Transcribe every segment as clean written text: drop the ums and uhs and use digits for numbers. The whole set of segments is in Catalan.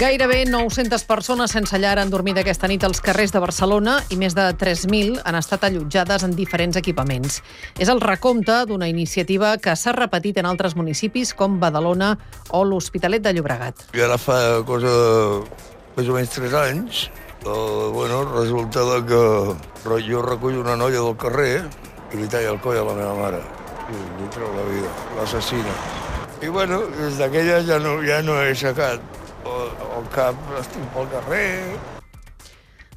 Gairebé 900 persones sense llar han dormit aquesta nit als carrers de Barcelona i més de 3.000 han estat allotjades en diferents equipaments. És el recompte d'una iniciativa que s'ha repetit en altres municipis com Badalona o l'Hospitalet de Llobregat. I ara fa cosa de més o menys 3 anys, resulta que jo recullo una noia del carrer i li talla el coll a la meva mare. I li treu la vida, l'assassina. I des d'aquella ja no he aixecat el cap, estic pel carrer.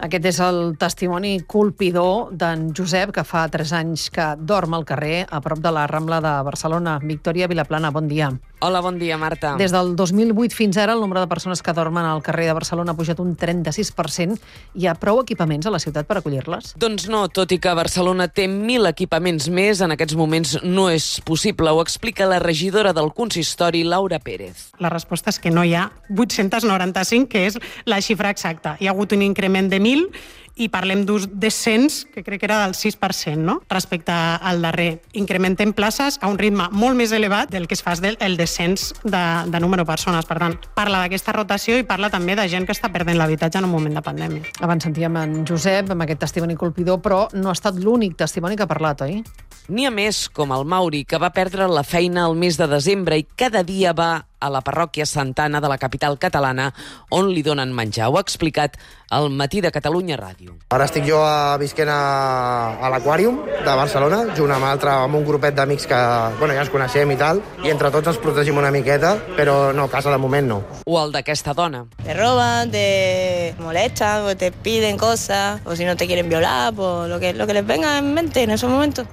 Aquest és el testimoni colpidor d'en Josep, que fa 3 anys que dorm al carrer a prop de la Rambla de Barcelona. Victòria Vilaplana, bon dia. Hola, bon dia, Marta. Des del 2008 fins ara, el nombre de persones que dormen al carrer de Barcelona ha pujat un 36%. Hi ha prou equipaments a la ciutat per acollir-les? Doncs no, tot i que Barcelona té 1.000 equipaments més, en aquests moments no és possible. Ho explica la regidora del consistori, Laura Pérez. La resposta és que no hi ha 895, que és la xifra exacta. Hi ha hagut un increment de 1.000 i parlem d'un descens, que crec que era del 6%, no?, respecte al darrer. Incrementem places a un ritme molt més elevat del que es fa el descens de número de persones. Per tant, parla d'aquesta rotació i parla també de gent que està perdent l'habitatge en un moment de pandèmia. Abans sentíem en Josep amb aquest testimoni colpidor, però no ha estat l'únic testimoni que ha parlat, oi? N'hi ha més, com el Mauri, que va perdre la feina el mes de desembre i cada dia va a la parròquia Santa Anna de la capital catalana, on li donen menjar. Ho ha explicat al Matí de Catalunya Ràdio. Ara estic jo visquent a l'Aquàrium de Barcelona, junt amb un grupet d'amics que ja ens coneixem i tal, i entre tots ens protegim una miqueta, però no, a casa de moment no. O el d'aquesta dona. Te roban, te molestan, o te piden cosas, o si no te quieren violar, pues lo que les venga en mente en esos momentos.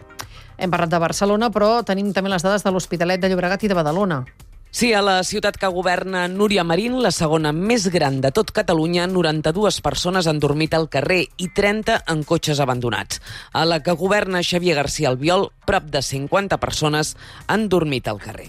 Hem parlat de Barcelona, però tenim també les dades de l'Hospitalet de Llobregat i de Badalona. Sí, a la ciutat que governa Núria Marín, la segona més gran de tot Catalunya, 92 persones han dormit al carrer i 30 en cotxes abandonats. A la que governa Xavier García Albiol, prop de 50 persones han dormit al carrer.